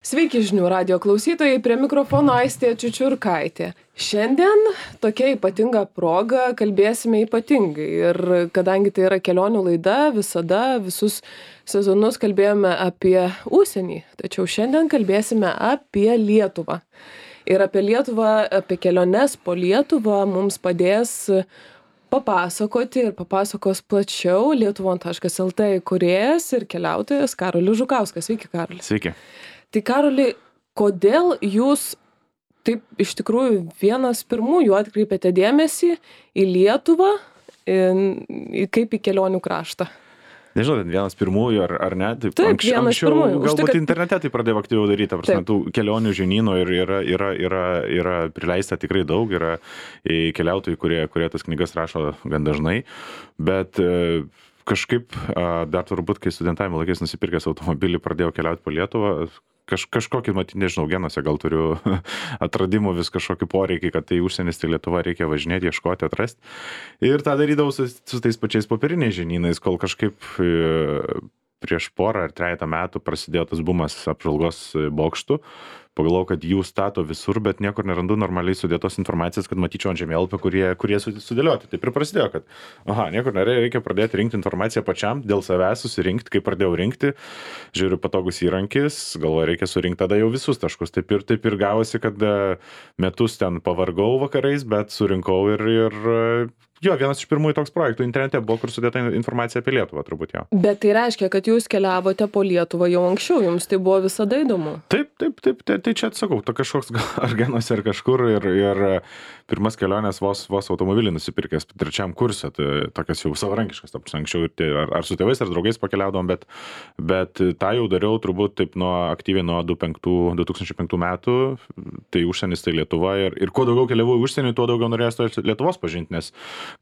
Sveiki žinių radijo klausytojai, prie mikrofono Aistė Čiučiurkaitė. Šiandien tokia ypatinga proga kalbėsime ypatingai ir kadangi tai yra kelionių laida, visada visus sezonus kalbėjome apie užsienį, tačiau šiandien kalbėsime apie Lietuvą. Ir apie Lietuvą, apie keliones po Lietuvą mums padės papasakoti ir papasakos plačiau lietuvon.lt įkūrėjas ir keliautojas Karolis Žukauskas. Sveiki, Karolis. Sveiki. Tai Karoli, kodėl jūs taip iš tikrųjų vienas pirmųjų atkreipėte dėmesį į Lietuvą, kaip į kelionių kraštą? Nežinau, vienas pirmųjų ar ne. Taip, vienas pirmųjų. Galbūt internete tai pradėjo aktyviau daryti, prasme, tų kelionių žinynų ir yra prileista tikrai daug, yra keliautojai, kurie tas knygas rašo gan dažnai, bet kažkaip dar turbūt, kai studentavimo laikais nusipirkęs automobilį, pradėjau keliauti po Lietuvą, kažkokį, matyt, nežinau, genuose gal turiu atradimų vis kažkokį poreikį, kad tai užsienis, tai Lietuva reikia važinėti, ieškoti, atrasti. Ir tą darydavau su tais pačiais popieriniais žinynais, kol kažkaip prieš porą ar 3 metų prasidėjo tas bumas apžvalgos bokštų. Pagalvojau, kad jų stato visur, bet niekur nerandu normaliai sudėtos informacijos, kad matyčiau ant žemėlapio, kurie sudėlioti. Taip ir prasidėjo, kad niekur reikia pradėti rinkti informaciją pačiam, dėl savęs susirinkti, kai pradėjau rinkti, žiūriu patogus įrankis, galvoju, reikia surinkti tada jau visus taškus. Taip ir gavosi, kad metus ten pavargau vakarais, bet surinkau ir vienas iš pirmųjų toks projektų internete buvo, kur sudėta informacija apie Lietuvą, turbūt jau. Bet tai reiškia, kad jūs keliavote po Lietuvą jau anksčiau, jums tai buvo visada įdomu? Taip, tai čia atsakau, to kažkoks ar genuose ar kažkur ir pirmas kelionės vos automobilį nusipirkęs 3 kurse, tai tokias jau savarankiškas, anksčiau ar su tėvais ar draugais pakeliaudom, bet tą jau dariau turbūt taip aktyviai nuo 2005 metų, tai užsienis, tai Lietuva ir kuo daugiau keliavau į užsienį, tuo daugiau norėjau Lietuvos pažinti, nes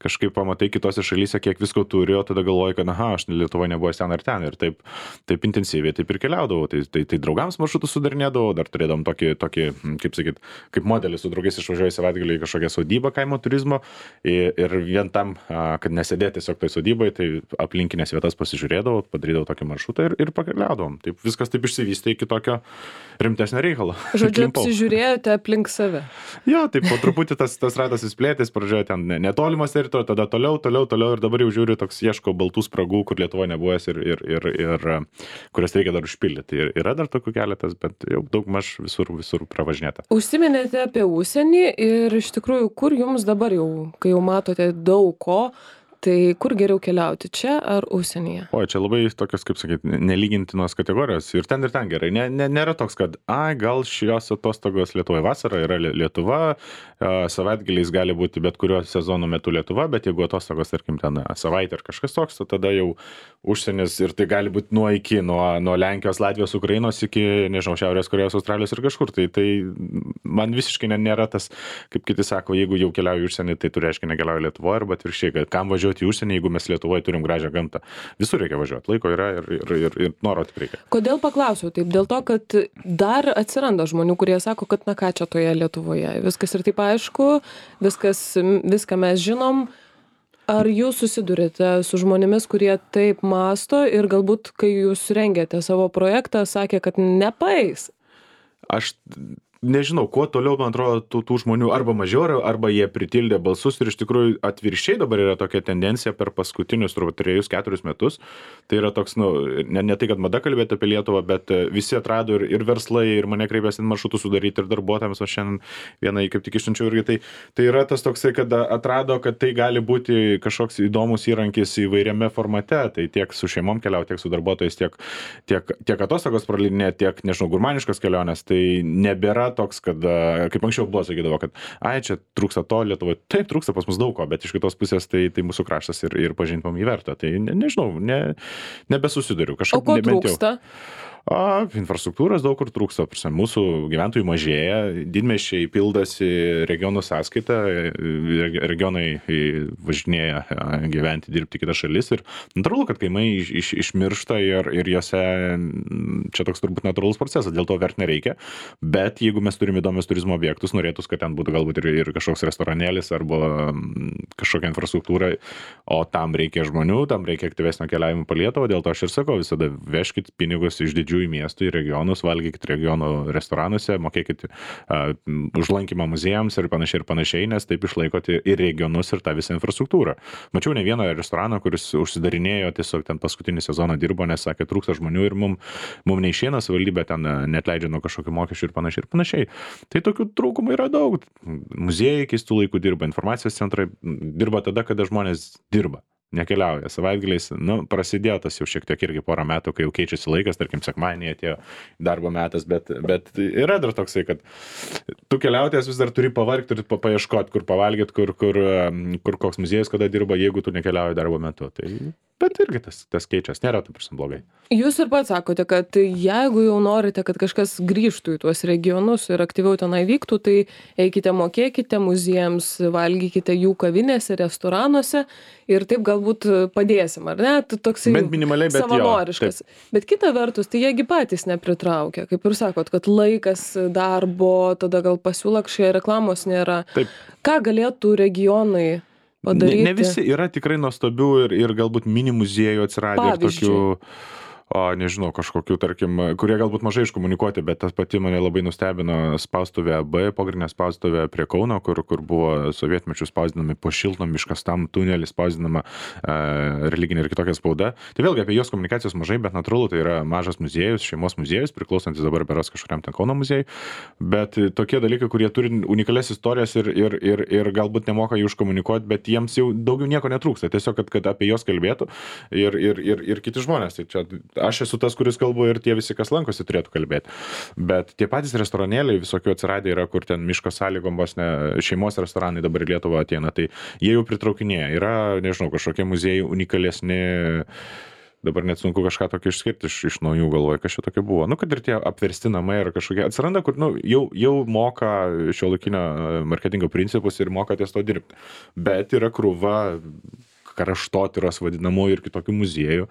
kažkaip pamatai kitose šalyse, kiek visko turi, o tada galvoji, kad aš Lietuvoje nebuvęs ten ar ten ir taip intensyviai taip ir keliaudavau, tai draugams maršrutus sudarinėdavau, dar turėdavom tokį, kaip sakyt, kaip modelį su draugais išvažiuoju savaitgalį į kažkokią sodybą kaimo turizmo ir vien tam, kad nesėdėti tiesiog tai sodybai, tai aplinkinės vietas pasižiūrėdavau, padarydavau tokį maršrutą ir pakeliaudavom. Taip viskas taip išsivystė iki tokio rimtesnio reikalo. Žodžiu, apsižiūrėjote aplink save. Jo, taip po truputį tas ratas įsplėtės, pradžioje ten netolimas teritorija, tada toliau ir dabar jau žiūriu, toks ieško baltų spragų, kur Lietuvoje nebuvęs ir kurias reikia dar užpildyti. Ir yra dar tokių keletas, bet jau daugmaž visur pravažinėta. Užsiminėte apie užsienį ir iš tikrųjų, kur jums dabar jau, kai jau matote daug ko, tai kur geriau keliauti, čia ar užsienyje? Čia labai tokios, kaip sakyti, nelygintinos kategorijos ir ten gerai. Nėra toks, kad gal šios atostogos Lietuvoje vasara yra Lietuva, savaitgaliais gali būti bet kurio sezono metu Lietuva, bet jeigu atostogos, tarkim, ten savaitę ar kažkas toks, tada jau užsienis ir tai gali būti nuo Lenkijos, Latvijos, Ukrainos iki, nežinau, Šiaurės Korėjos, Australijos ir kažkur. Tai man visiškai nėra tas, kaip kiti sako, jeigu jau keliauju į užsienį, tai tu reiškia nekeliauju Lietuvoje, arba atvirkščiai, kad kam važiuoti į užsienį, jeigu mes Lietuvoje turim gražią gamtą. Visur reikia važiuoti, laiko yra ir noro tik reikia. Kodėl paklausiau taip? Dėl to, kad dar atsiranda žmonių, kurie sako, kad ką čia toje Lietuvoje. Viskas ir taip aišku, viską mes žinom. Ar jūs susidurite su žmonėmis, kurie taip masto ir galbūt, kai jūs rengėte savo projektą, sakė, kad nepaeis? Aš nežinau, kuo toliau, man atrodo, tų žmonių arba mažiau, arba jie pritildė balsus ir iš tikrųjų atvirkščiai dabar yra tokia tendencija per paskutinius 3-4 metus. Tai yra toks, ne tai, kad mada kalbėti apie Lietuvą, bet visi atrado ir verslai, ir mane kreipėsi maršrutų sudaryti, ir darbuotojams, o šiandien vieną kaip tik išsiunčiau irgi. Tai yra tas toksai, kad atrado, kad tai gali būti kažkoks įdomus įrankis įvairiame formate. Tai tiek su šeimom keliauti, tiek su darbuotojais, tiek atostogos praleidinėti, tiek, nežinau, gurmaniškos kelionės. Tai nebėra toks, kad, kaip anksčiau buvo, sakydavo, kad čia trūksta to Lietuvoje. Taip, trūksta pas mus daug ko, bet iš kitos pusės tai mūsų kraštas ir pažintumom jį verta. Tai nežinau, nebesusiduriu. O ko trūksta? Infrastruktūros daug kur trūksta. Mūsų gyventojų mažėja, didmiesčiai pildosi regionų sąskaita, regionai važinėja gyventi, dirbti kitas šalis ir natūralu, kad kaimai išmiršta ir jose čia toks turbūt natūralus procesas, dėl to verti nereikia, bet jeigu mes turime įdomius turizmo objektus, norėtus, kad ten būtų galbūt ir kažkoks restoranėlis arba kažkokia infrastruktūra, o tam reikia žmonių, tam reikia aktyvesnio keliavimo po Lietuvą, dėl to aš ir sakau, visada vežkit pinigus iš didžiųjų didžiųjų miestų į regionus, valgykit regionų restoranuose, mokėkit už lankymą muziejams ir panašiai, nes taip išlaikote ir regionus, ir tą visą infrastruktūrą. Mačiau ne vieną restoraną, kuris užsidarinėjo, tiesiog ten paskutinį sezoną dirbo, nes sakė, trūksta žmonių ir mum neišeina, savivaldybė ten neatleidžia nuo kažkokių mokesčių ir panašiai. Tai tokių trūkumų yra daug. Muziejai keistų laikų dirba, informacijos centrai dirba tada, kada žmonės dirba. Nekeliauja savaitgaliais, prasidėjo tas jau šiek tiek irgi porą metų, kai jau keičiasi laikas, tarkim, sekmadienį atėjo darbo metas, bet yra dar toksai, kad tu keliautojas vis dar turi pavargti ir paieškoti, kur pavalgyti, kur koks muziejus kada dirba, jeigu tu nekeliauji darbo metu. Bet irgi tas keičiasi, nėra taip ir blogai. Jūs ir pats sakote, kad jeigu jau norite, kad kažkas grįžtų į tuos regionus ir aktyviau tenai vyktų, tai eikite, mokėkite muziejams, valgykite jų kavinėse, restoranuose ir taip galbūt padėsim, ar ne? Toksai savanoriškas. Bet kita vertus, tai jiegi patys nepritraukia. Kaip ir sakot, kad laikas darbo, tada gal pasiūla kažkokia reklamos nėra. Taip. Ką galėtų regionai padaryti? Ne visi yra tikrai nuostabių ir galbūt mini muziejų atsiradę ir tokių, nežinau, kažkokių, tarkim, kurie galbūt mažai iškomunikuoti, bet tas pati mane labai nustebino spaustuvė B, pogrindinė spaustuvė prie Kauno, kur buvo sovietmečių spausdinami po šiltnamį iškastam tunelį spausdinama religinė ir kitokia spauda. Tai vėlgi apie jos komunikacijos mažai, bet natūralu, tai yra mažas muziejus, šeimos muziejus, priklausantis dabar beros kažkuriam ten Kauno muziejui, bet tokie dalykai, kurie turi unikalias istorijas ir galbūt nemoka jų iškomunikuoti, bet jiems jau daugiau nieko netrūksta, tiesiog, kad apie jos kalbėtų ir kiti žmonės. Tai čia aš esu tas, kuris kalbu ir tie visi, kas lankosi, turėtų kalbėti. Bet tie patys restoranėliai visokių atsiradę yra, kur ten miško sąlygom vos ne šeimos restoranai dabar į Lietuvą ateina, tai jie jau pritraukinėja. Yra, nežinau, kažkokie muziejai unikalesni, dabar net sunku kažką tokio išskirti iš naujų galvoju, kas čia tokio buvo. Kad ir tie apversti namai ar kažkokie atsiranda, kur jau moka šiuolaikinio marketingo principus ir moka ties to dirbti. Bet yra krūva kraštotyros vadinamųjų ir kitokių muziejų,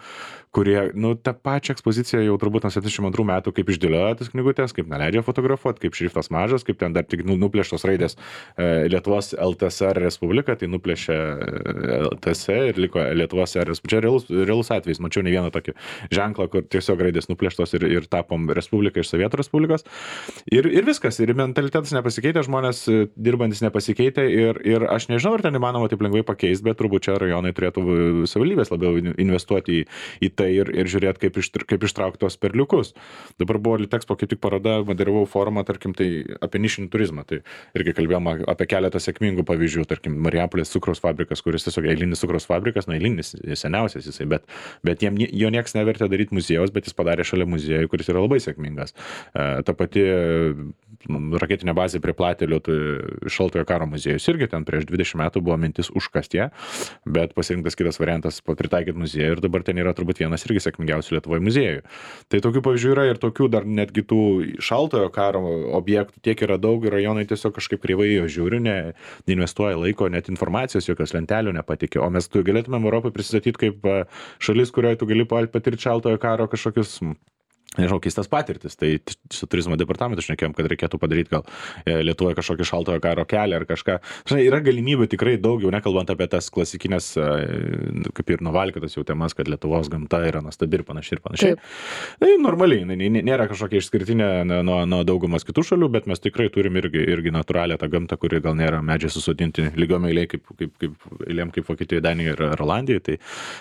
kurie, tą pačią ekspoziciją jau turbūt nuo 72 metų kaip išdėlioja tas knygutės, kaip neleidžia fotografuoti, kaip šriftas mažas, kaip ten dar tik nuplėštos raidės Lietuvos LTSR Respublika, tai nuplėšė LTS ir liko Lietuvos Respublika. Čia realus atvejis, mačiau ne vieną tokį ženklą, kur tiesiog raidės nuplėštos ir tapom Respublika iš Sovietų Respublikos. Ir viskas, ir mentalitetas nepasikeitė, žmonės dirbantis nepasikeitė ir aš nežinau, ar ten įmanoma taip lengvai pakeisti, bet turbūt čia rajonai turėtų savivaldybės labiau investuoti į tai ir žiūrėti, kaip ištraukti tos perliukus. Dabar buvo Litexpo kaip tik paroda, moderavau forumą, tarkim, tai apie nišinį turizmą. Tai irgi kalbėjom apie keletą sėkmingų pavyzdžių, tarkim, Marijampolės cukraus fabrikas, kuris tiesiog eilinis cukraus fabrikas, eilinis, seniausias jisai, bet jo nieks nevertė daryti muziejaus, bet jis padarė šalia muziejų, kuris yra labai sėkmingas. Ta pati raketinė bazė prie Platelių, tai Šaltojo karo muziejus irgi ten prieš 20 metų buvo mintis užkasti, bet pasirinktas kitas variantas pritaikyti muziejų ir dabar ten yra turbūt vienas irgi sėkmingiausių Lietuvoje muziejų. Tai tokių pavyzdžių yra ir tokių dar netgi tų Šaltojo karo objektų tiek yra daug ir rajonai tiesiog kažkaip kreivai jo žiūri, neinvestuoja laiko, net informacijos jokios lentelių nepatikė. O mes galėtumėm Europai prisistatyti kaip šalis, kurioje tu gali patirti Šaltojo karo kažkokius nežinau, keistas patirtis. Tai su turizmo departamentu šnekėjom, kad reikėtų padaryti gal Lietuvoje kažkokį Šaltojo karo kelią ar kažką. Žinai, yra galimybių tikrai daug, jau nekalbant apie tas klasikinės, kaip ir nuvalkėtas jau temas, kad Lietuvos gamta yra nuostabi ir panašiai. Tai normaliai, nėra kažkokia išskirtinė nuo daugumas kitų šalių, bet mes tikrai turim irgi natūralią tą gamtą, kuri gal nėra medžiai susodinti lygiom eilėm kaip Vokietijoje, Danijoje ir Olandijoje.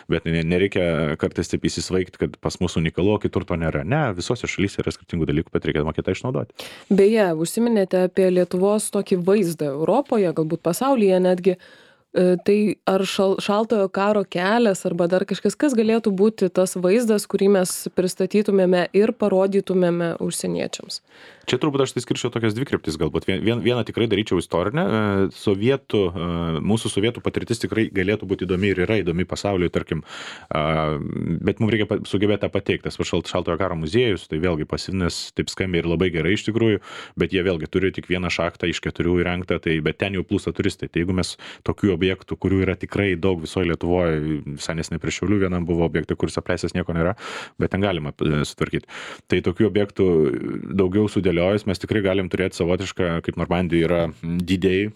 Bet nereikia kartais taip įsisvaigti, kad pas mus unikalu, o kitur to nėra. Visose šalyse yra skirtingų dalykų, bet reikia mokėti išnaudoti. Beje, užsiminėte apie Lietuvos tokį vaizdą Europoje, galbūt pasaulyje netgi. Tai ar Šaltojo karo kelias arba dar kažkas, kas galėtų būti tas vaizdas, kurį mes pristatytumėme ir parodytumėme užsieniečiams? Čia turbūt aš tai skirčiau tokias dvi kryptis galbūt. Vieną tikrai daryčiau istorinę. Mūsų sovietų patirtis tikrai galėtų būti įdomi ir yra įdomi pasauliui, tarkim, bet mums reikia sugebėti tą pateikti. Tas Šaltojo karo muziejus, tai vėlgi Pasivinės taip skambiai ir labai gerai iš tikrųjų, bet jie vėlgi turi tik vieną šachtą iš 4 įrengtą, bet ten jau plūsta turistai. Tai jeigu mes tokių objektų objektų, kurių yra tikrai daug visoje Lietuvoje, visai neseniai prie Šiaulių vienam buvo objektai, kuris apleistas nieko nėra, bet ten galima sutvarkyti. Tai tokių objektų daugiau sudėliojus, mes tikrai galim turėti savotišką, kaip Normandijoje yra didėjai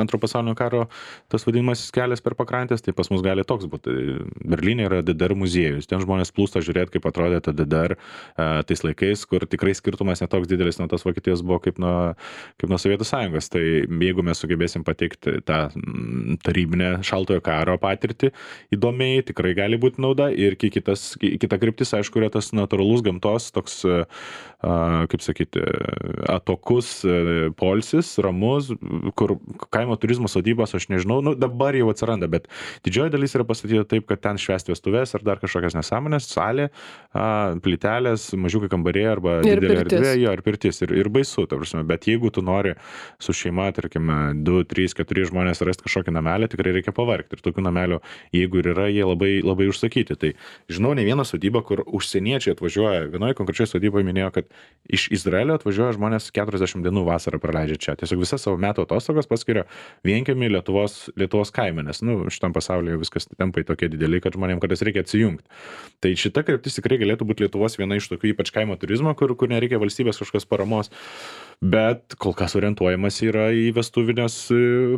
antro pasaulinio karo, tas vadinamas kelias per pakrantės, tai pas mus gali toks būti. Berlyne yra DDR muziejus, ten žmonės plūsta žiūrėti, kaip atrodė ta DDR tais laikais, kur tikrai skirtumas netoks didelis nuo tos Vokietijos buvo kaip nuo Sovietų Sąjungos. Tai jeigu mes sugebėsim pateikti tą tarybinę šaltojo karo patirtį įdomiai, tikrai gali būti nauda. Ir kita kryptis, aišku, yra tas natūralus gamtos, toks, kaip sakyti, atokus poilsis, ramus, kur kaimo turizmo sodybos, aš nežinau, dabar jau atsiranda, bet didžioji dalis yra pastatyta taip, kad ten švęsti vestuvės ar dar kažkokias nesąmonės, salė, plytelės, mažiukai kambariai arba didelė erdvė, ir pirtis. Ir baisu, ta prasme. Bet jeigu tu nori su šeima, tarkim, 2, 3, 4 žmonės rasti kažkokį namelį, tikrai reikia pavargti. Ir tokių namelių, jeigu ir yra, jie labai, labai užsakyti. Tai žinau ne vieną sodybą, kur užsieniečiai atvažiuoja. Vienoje konkrečioje sodyboje minėjo, kad iš Izraelio atvažiuoja žmonės 40 dienų vasarą praleidžia čia. Tiesiog visą savo metų atostogas paskiria vienkiemį Lietuvos kaime, nes šitam pasaulyje viskas tempai tokie dideli, kad žmonėms kartais reikia atsijungti. Tai šita kryptis tikrai galėtų būti Lietuvos viena iš tokių ypač kaimo turizmo, kur nereikia valstybės kažkokios paramos. Bet kol kas orientuojamas yra į vestuvinės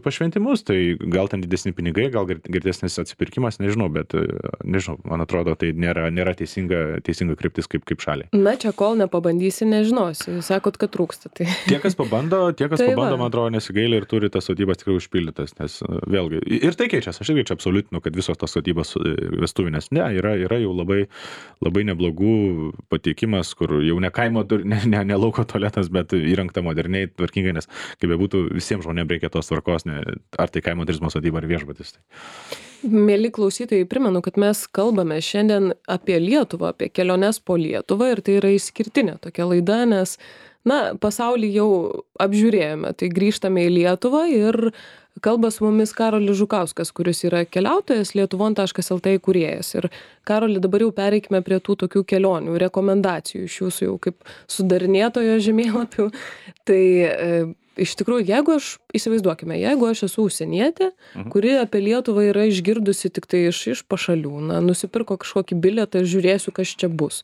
pašventimus, tai gal ten didesni pinigai, gal girdesnis atsipirkimas, nežinau, bet nežinau, man atrodo, tai nėra teisinga kryptis kaip šaliai. Na, čia kol nepabandysi, nežinosi. Sakot, kad trūksta. Tai... Tie, kas pabando, man atrodo, nesigaili ir turi tas sodybas tikrai užpildytas, nes vėlgi, ir tai keičiasi, aš irgi čia absoliutinu, kad visos tos sodybos vestuvinės, yra jau labai, labai neblogų pateikimas, kur jau ne kaimo, ne lauko tualetas, bet įrengta moderniai, tvarkingai, nes kaip bebūtų, visiems žmonėms reikia tos tvarkos, ar tai kaimo turizmo sodyba, ar viešbutis. Mėly klausytojai, primenu, kad mes kalbame šiandien apie Lietuvą, apie keliones po Lietuvą ir tai yra išskirtinė tokia laida, nes, pasaulį jau apžiūrėjome, tai grįžtame į Lietuvą ir kalba su mumis Karolis Žukauskas, kuris yra keliautojas, lietuvon.lt įkūrėjas. Ir Karoli, dabar jau pereikime prie tų tokių kelionių, rekomendacijų iš jūsų jau kaip sudarinėtojo žemėlapių. Tai iš tikrųjų, įsivaizduokime, jeigu aš esu užsienietė, kuri apie Lietuvą yra išgirdusi tik tai iš pašalių, nusipirko kažkokį bilietą ir žiūrėsiu, kas čia bus.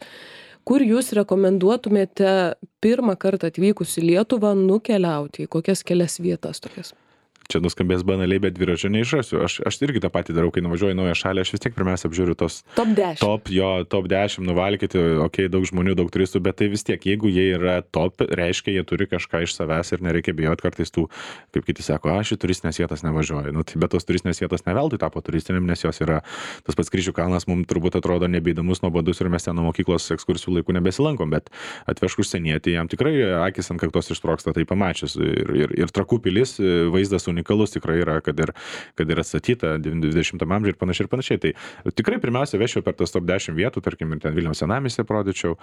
Kur jūs rekomenduotumėte pirmą kartą atvykus į Lietuvą nukeliauti, į kokias kelias vietas tokias? Čia nuskambės banaliai, bet dviračio neišrasiu. Aš irgi tą patį darau, kai nuvažiuoju į naują šalį, aš vis tiek pirmiausia apžiūriu tos top 10. Top 10 nuvalkyti, daug žmonių, daug turistų, bet tai vis tiek, jeigu jie yra top, reiškia, jie turi kažką iš savęs ir nereikia bijoti kartais tų, kaip kiti sako, aš į turistinės vietas nevažiuoju. Bet tos turistinės vietos neveltui tapo turistinėm, nes jos yra, tas pats Kryžių kalnas mums turbūt atrodo nebeįdomus, nuobodus ir mes ten nuo mokyklos ekskursijų laikų nebesilankom, bet atvežk užsienietį, jam tikrai akis ant kaktos ištroksta tai pamačius. Ir Trakų pilis vaizdas unikalus tikrai yra, kad ir atstatyta 20 amžiuje ir panašiai. Tai tikrai pirmiausia vešiau per tas top 10 vietų, tarkim, ir ten Vilniaus senamiestį parodyčiau,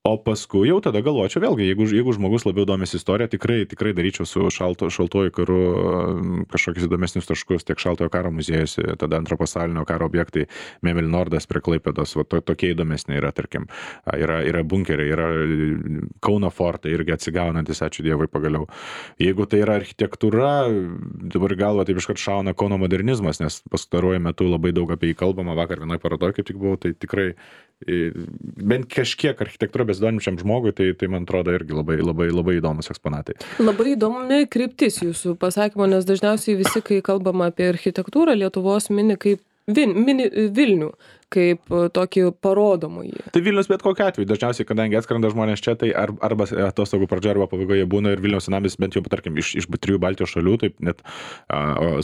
o paskui jau tada galvočiau vėlgi, jeigu žmogus labiau domisi istorija, tikrai daryčiau su šaltuoju karu kažkokius įdomesnius taškus, tiek šaltojo karo muziejus, tada antro pasaulinio karo objektai, Memel Nordas prie Klaipėdos, tokie įdomesni yra, tarkim, yra bunkeriai, yra Kauno fortai irgi atsigaunantis, ačiū Dievui pagaliau. Jeigu tai yra architektūra, dabar galva taip iškart šauna Kauno modernizmas, nes pastaruoju metu labai daug apie jį kalbama, vakar vienoje parodoje kaip tik buvau, tai tikrai bent kažkiek architektūra besidominčiam žmogui, tai man atrodo irgi labai, labai, labai įdomus eksponatai. Labai įdomi kryptis jūsų pasakymo, nes dažniausiai visi, kai kalbama apie architektūrą, Lietuvos mini Vilnių, kaip tokį parodomąjį. Tai Vilnius bet kokiu atveju, dažniausiai, kadangi atskrenda žmonės čia, tai arba atostogų pradžioje, arba pabaigoje būna ir Vilniaus senamiestis, bent jau, tarkim, iš 3 Baltijos šalių, taip net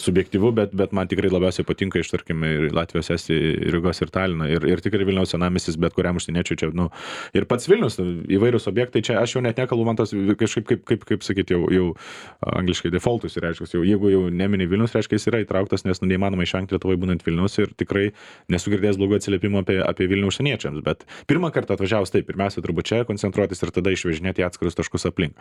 subjektyvu, bet man tikrai labiausiai patinka iš, tarkim, Latvijos, Estijos, Rygos ir Talino, ir tikrai Vilniaus senamiestis, bet kuriam užsieniečiui čia, ir pats Vilnius, įvairūs objektai, čia aš jau net nekalbu, man tas kažkaip, kaip sakyti, jau angliškai defaultus, reiškia, jeigu jau nemini Vilnius, reiškia, jis yra įtrauktas, nes neįmanoma išvengti Lietuvoje būnant Vilnius ir tikrai nesu girdėjęs blogų atsiliepimų apie Vilnių užsieniečiams, bet pirmą kartą atvažiavus tai pirmiausia turbūt čia koncentruotis ir tada išvežinėti atskirus taškus aplink.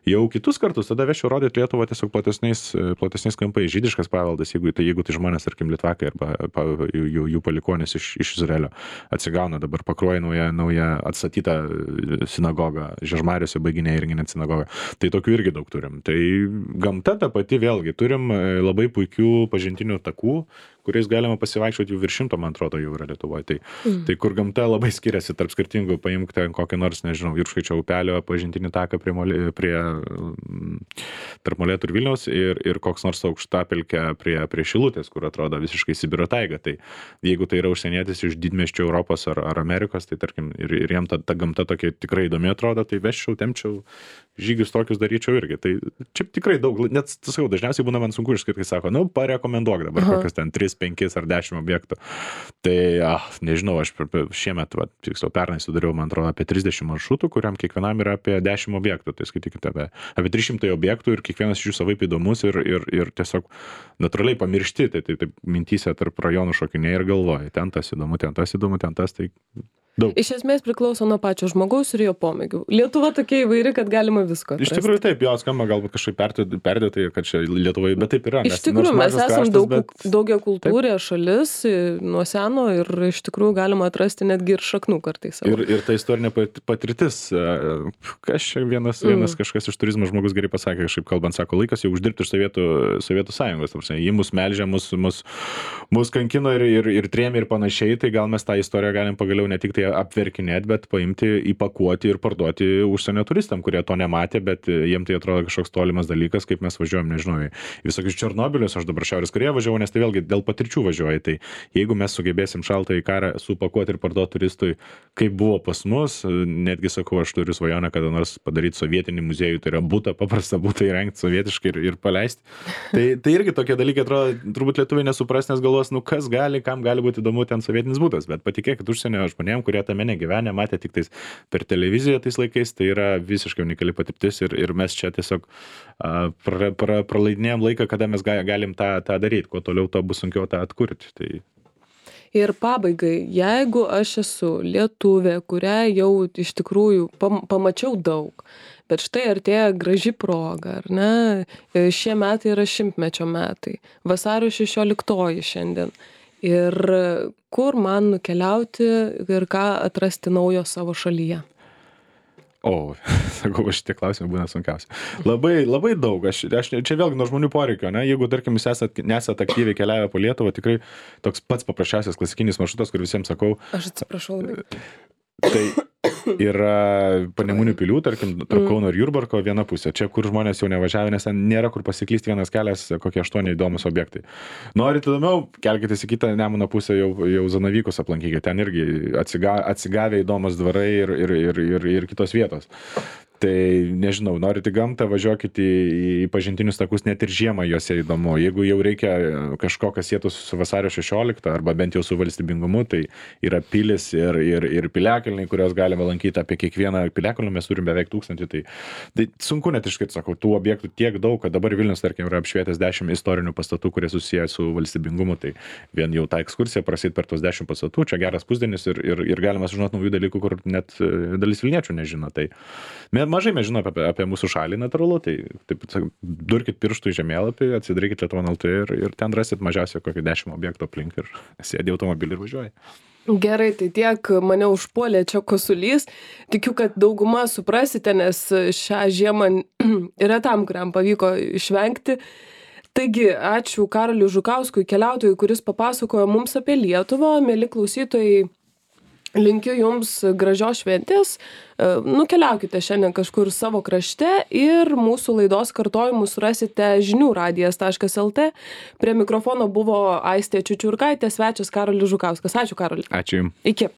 Jau kitus kartus tada vešiu rodyti Lietuvą tiesiog platesniais kampais, žydiškas paveldas, jeigu tai žmonės, tarkim, litvakai arba jų palikuonys iš Izraelio atsigauna, dabar Pakruojyje nauja atstatyta sinagoga, Žiežmariuose baiginė irgi net sinagoga. Tai tokių irgi daug turim. Tai gamta ta pati vėlgi, turim labai puikių pažintinių takų, kuriais galima pasivaikščioti jau virš 100, man atrodo, jau yra Lietuvoje. Tai kur gamta labai skiriasi tarp skirtingų, paimk ten kokį nors, nežinau, Jurškaičio upelio pažintinį taką prie tarp Molėtų ir Vilniaus ir koks nors aukštapelkė prie Šilutės, kur atrodo visiškai Sibiro taiga. Tai jeigu tai yra užsienietis iš didmiesčių Europos ar Amerikos, tai tarkim, ir jiem ta gamta tokia tikrai įdomi atrodo, tai vesčiau, tempčiau, žygius tokius daryčiau irgi. Tai čia tikrai daug, net sakau, dažniausiai būna man sunku išskirti, kai sako, parekomenduok dabar kokius ten 3, 5 ar 10 objektų. Tai, nežinau, aš šiemet, tiksliau pernai sudariau, man atrodo, apie 30 maršrutų, kuriam kiekvienam yra apie 10 objektų. Tai skaitykite, apie 300 objektų ir kiekvienas iš jų savaip įdomus ir tiesiog natūraliai pamiršti. Tai mintyse tarp rajonų šokinėja ir galvoja, ten tas įdomu, ten tas, tai daug. Iš esmės priklauso nuo pačio žmogaus ir jo pomėgių. Lietuva tokia įvairi, kad galima visko atrasti. Iš tikrųjų taip, jo skamba galbūt kažkaip perdėtai, kad čia Lietuvoje, bet taip yra. Iš tikrųjų, mes esame daugiakultūrė šalis nuo seno ir iš tikrųjų galima atrasti netgi ir šaknų kartais. Ir ta istorinė patirtis, kas čia vienas kažkas iš turizmo žmogus gerai pasakė, kažkaip kalbant, sako, laikas jau uždirbti iš Sovietų Sąjungos. Jį mus melžia, mus kankino ir trėmė ir panašiai, tai gal mes tą istoriją galim pagaliau ne tik tai apverkinėti, bet paimti, įpakuoti ir parduoti užsienio turistam, kurie to nematė, bet jiem tai atrodo kažkoks tolimas dalykas, kaip mes važiuojam, nežinau, į visokius Černobilius, aš dabar Šiaurės Korėją važiavau, nes tai vėlgi dėl patirčių važiuoju. Tai jeigu mes sugebėsim šaltąjį karą supakuoti ir parduoti turistui, kaip buvo pas mus, netgi sakau, aš turiu svajonę kada nors padaryti sovietinį muziejų, tai yra paprastą butą įrengti sovietiškai ir paleisti. Tai irgi tokie dalykai atrodo, turbūt lietuviai nesupras, nes galvos, kas gali, kam gali būti įdomu ten sovietinis butas, bet patikėkit užsienio žmonėm, kurie tame negyvenę, matė tik tais per televiziją tais laikais, tai yra visiškai unikali patirtis ir mes čia tiesiog praleidinėjom laiką, kada mes galim tą daryti, kuo toliau to bus sunkiau tą atkurti. Tai... Ir pabaigai, jeigu aš esu lietuvė, kurią jau iš tikrųjų pamačiau daug, bet štai artėja graži proga, ar ne? Šie metai yra 100-mečio metai, vasario 16 šiandien. Ir kur man nukeliauti ir ką atrasti naujo savo šalyje? Sakau, šitie klausimai būna sunkiausi. Labai daug. Aš čia vėlgi nuo žmonių poreikio, ne? Jeigu, tarkim, jūs nesat aktyviai keliavę po Lietuvą, tikrai toks pats paprasčiausias klasikinis maršrutas, kur visiems sakau. Aš atsiprašau labai. Tai yra Panemunių pilių, tarkim, tarp Kauno ir Jurbarko viena pusė. Čia, kur žmonės jau nevažiavę, nes ten nėra kur pasiklysti, vienas kelias, kokie 8 įdomus objektai. Norit įdomiau, kelkitės į kitą Nemuno pusę, jau Zanavykus aplankykite. Ten irgi atsigavę įdomus dvarai ir kitos vietos. Tai nežinau, norit į gamtą, važiuokit į pažintinius takus, net ir žiemą juose įdomu. Jeigu jau reikia kažko, kas sėtų su vasario 16 arba bent jau su valstybingumu, tai yra pilis ir piliakalniai, kurios galime lankyti. Apie kiekvieną piliakalnį mes turim beveik 1000. Tai sunku net išskirti, sakau, tų objektų tiek daug, kad dabar Vilnius, tarkim, yra apšvietęs 10 istorinių pastatų, kurie susiję su valstybingumu. Tai vien jau tą ekskursiją prasit per tos 10 pastatų, čia geras pusdienis ir galima sužinoti naujų dalykų, kur net dalis vilniečių nežino. Tai mažai mes žinome apie mūsų šalį, natūralu, tai taip, durkit pirštų į žemėlapį, atsidarykit Lietuva.lt ir ten rasit mažiausiai kokį 10 objektų aplink ir sėdi automobilį ir važiuoji. Gerai, tai tiek mane užpuolė čia kosulys. Tikiu, kad dauguma suprasite, nes šią žiemą yra tam, kuriam pavyko išvengti. Taigi, ačiū Karoliui Žukauskui, keliautojui, kuris papasakojo mums apie Lietuvą. Mieli klausytojai, linkiu jums gražios šventės, nukeliaukite šiandien kažkur savo krašte ir mūsų laidos kartojimus rasite žiniųradijas.lt. Prie mikrofono buvo Aistė Čiučiurkaitė, svečias Karolis Žukauskas. Ačiū, Karoli. Ačiū jums. Iki.